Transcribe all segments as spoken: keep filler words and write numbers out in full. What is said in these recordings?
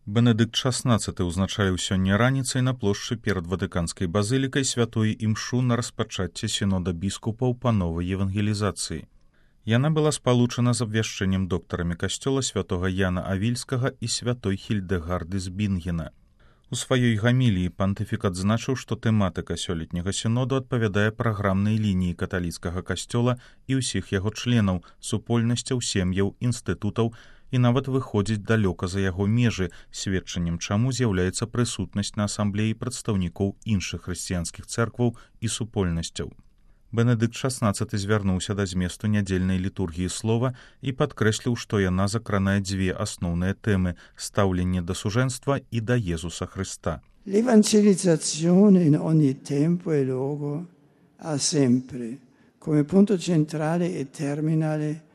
Бенедыкт шаснаццаты ўзначаліў сёння раніцай на плошчы перад Ватыканскай базылікай святой імшу на распачацце сінода біскупаў па новай евангелізацыі. Яна была спалучана з абвяшчэннем доктарамі касцёла святога Яна Авільскага і святой Хільдэгарды з Бінгена. У сваёй гаміліі пантыфік адзначыў, што тэматыка сёлетняга сіноду адпавядае праграмнай лініі каталіцкага касцёла і ўсіх яго членаў, супольнасцяў, сем'яў, інстытутаў, і нават выходзіць далёка за яго межы, сведчаннем чаму з'яўляецца прысутнасць на асамблеі прадстаўнікоў іншых хрысціянскіх цэркваў і супольнасцяў. Бенедыкт шаснаццаты звярнуўся да зместу нядзельнай літургіі слова і падкрэсліў, што яна закранае дзве асноўныя тэмы – стаўленне да сужэнства і да Езуса Хрыста. L'evangelizzazione in ogni tempo e luogo ha sempre come punto centrale e terminale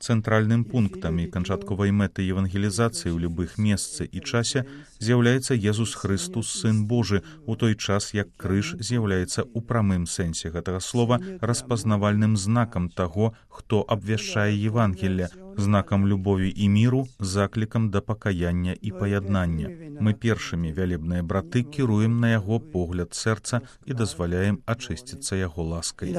Цэнтральным пунктам і канчатковай мэтай евангелізацыі ў любых месцы і часе з'яўляецца Езус Хрыстус, Сын Божы, у той час, як крыж з'яўляецца ў прамым сэнсе гэтага слова распазнавальным знакам таго, хто абвяшчае Евангелле, знакам любові і міру, заклікам да пакаяння і паяднання. Мы першымі, вялебныя браты, кіруем на яго погляд сэрца і дазваляем ачысціцца яго ласкай.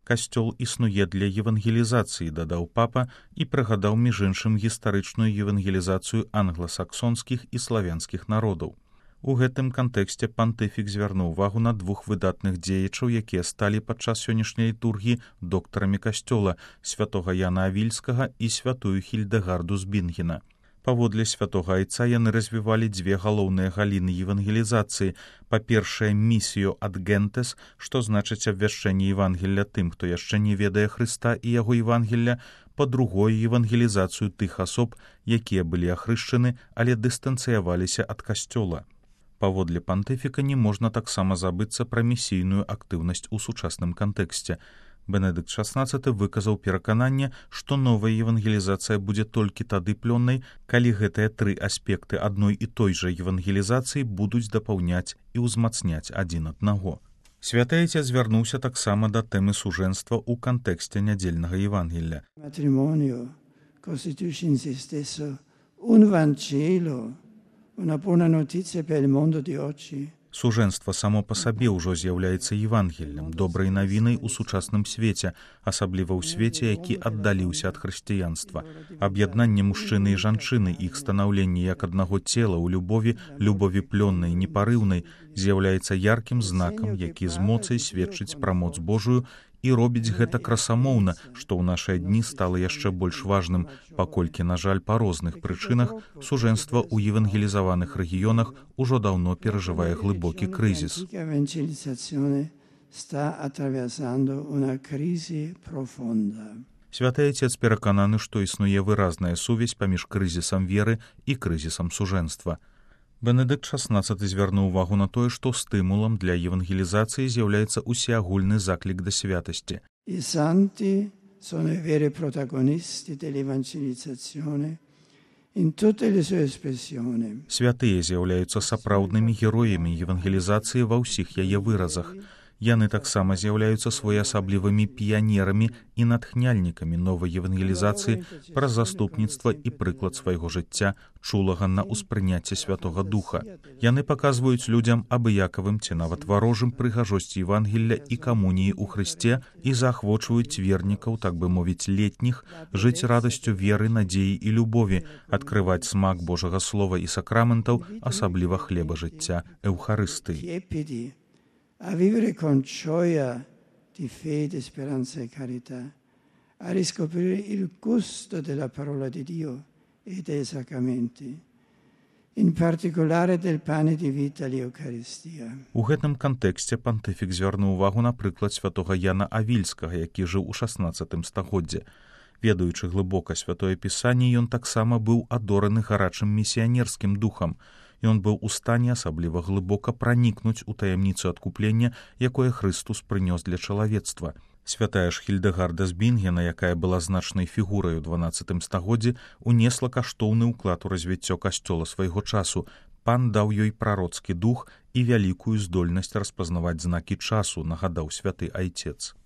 Касцёл існуе для евангелізацыі, дадаў папа і прыгадаў між іншым гістарычную евангелізацыю англасаксонскіх і славянскіх народаў. У гэтым кантэксце пантыфік звярнуў увагу на двух выдатных дзеячаў, якія сталі падчас сённяшняй літургіі доктарамі касцёла, святога Яна Авільскага і святую Хільдэгарду з Бінгена. Паводле святога айца яны развівалі дзве галоўныя галіны евангелізацыі. Па-першае, місію ад гентес, што значыць абвяшчэнне Евангелля тым, хто яшчэ не ведае Хрыста і яго Евангелля, па-другое, евангелізацыю тых асоб, якія былі ахрышчаны, але дыстанцыяваліся ад касцёла. Паводле пантыфіка не можна таксама забыцца пра місійную актыўнасць у сучасным кантэксце. Бенедыкт шаснаццаты выказаў перакананне, што новая евангелізацыя будзе толькі тады плённай, калі гэтыя тры аспекты адной і той жа евангелізацыі будуць дапаўняць і ўзмацняць адзін аднаго. Святы Айцец звярнуўся таксама да тэмы сужэнства ў кантэксце нядзельнага Евангелля. Matrimonio costituisce in se stesso un Vangelo, una buona notizia per il mondo di oggi. Сужэнства само па сабе ўжо з'яўляецца Евангеллем, добрай навінай у сучасным свеце, асабліва ў свеце, які аддаліўся ад хрысціянства. Аб'яднанне мужчыны і жанчыны, іх станаўленне як аднаго цела ў любові, любові плённай, непарыўнай, з'яўляецца яркім знакам, які з моцай сведчыць пра моц Божую і робіць гэта красамоўна, што ў нашыя дні стала яшчэ больш важным, паколькі, на жаль, па розных прычынах сужэнства ў евангелізаваных рэгіёнах ужо даўно перажывае глыбокі крызіс. Святы Айцец перакананы, што існуе выразная сувязь паміж крызісам веры і крызісам сужэнства. Бенедыкт шаснаццаты звярнуў увагу на тое, што стымулам для евангелізацыі з'яўляецца усеагульны заклік да святасці. I santi sono i veri protagonisti dell'evangelizzazione in tutte le sue espressioni. Святыя з'яўляюцца сапраўднымі героямі евангелізацыі ва ўсіх яе выразах. Яны таксама з'яўляюцца своеасаблівымі піянерамі і натхняльнікамі новай евангелізацыі праз заступніцтва і прыклад свайго жыцця, чулага на ўспрыняцце Святога Духа. Яны паказваюць людзям абыякавым ці нават варожым прыгажосць Евангелля і камуніі ў Хрысце і заахвочваюць вернікаў, так бы мовіць, летніх, жыць радасцю веры, надзеі і любові, адкрываць смак Божага Слова і сакраментаў, асабліва хлеба жыцця, Эўхарыстыі. A vivere con gioia di fede, speranza e carità, a riscoprire il gusto della parola di Dio e dei sacramenti, in particolare del pane di vita, l'Eucaristia. У гэтым кантэксце пантыфік звярнуў увагу на прыклад святога Яна Авільскага, які жыў у шаснаццатым стагоддзі. Ведаючы глыбока святое пісанне, ён таксама быў адораны гарачым місіянерскім духам. Ён быў у стане асабліва глыбока пранікнуць у таямніцу адкуплення, якое Хрыстус прынёс для чалавецтва. Святая ж Хільдэгарда з Бінгена, якая была значнай фігурай у дванаццатым стагоддзі, унесла каштоўны ўклад у развіццё касцёла свайго часу. Пан даў ёй прароцкі дух і вялікую здольнасць распазнаваць знакі часу, нагадаў святы Айцец.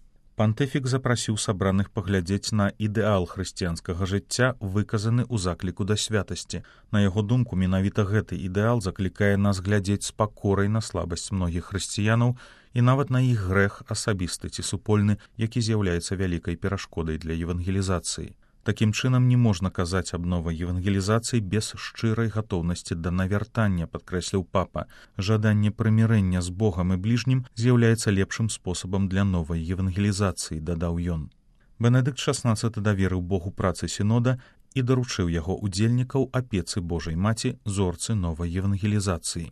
Пантыфік запрасіў сабраных паглядзець на ідэал хрысціянскага жыцця, выказаны ў закліку да святасці. На яго думку, менавіта гэты ідэал заклікае нас глядзець з пакорай на слабасць многіх хрысціянаў і нават на іх грэх асабісты ці супольны, які з'яўляецца вялікай перашкодай для евангелізацыі. Такім чынам, не можна казаць аб новай евангелізацыі без шчырай гатоўнасці да навяртання, падкрэсліў папа. Жаданне прымірэння з Богам і бліжнім з'яўляецца лепшым спосабам для новай евангелізацыі, дадаў ён. Бенедыкт шаснаццаты даверыў Богу працы сінода і даручыў яго удзельнікаў апецы Божай Маці, зорцы новай евангелізацыі.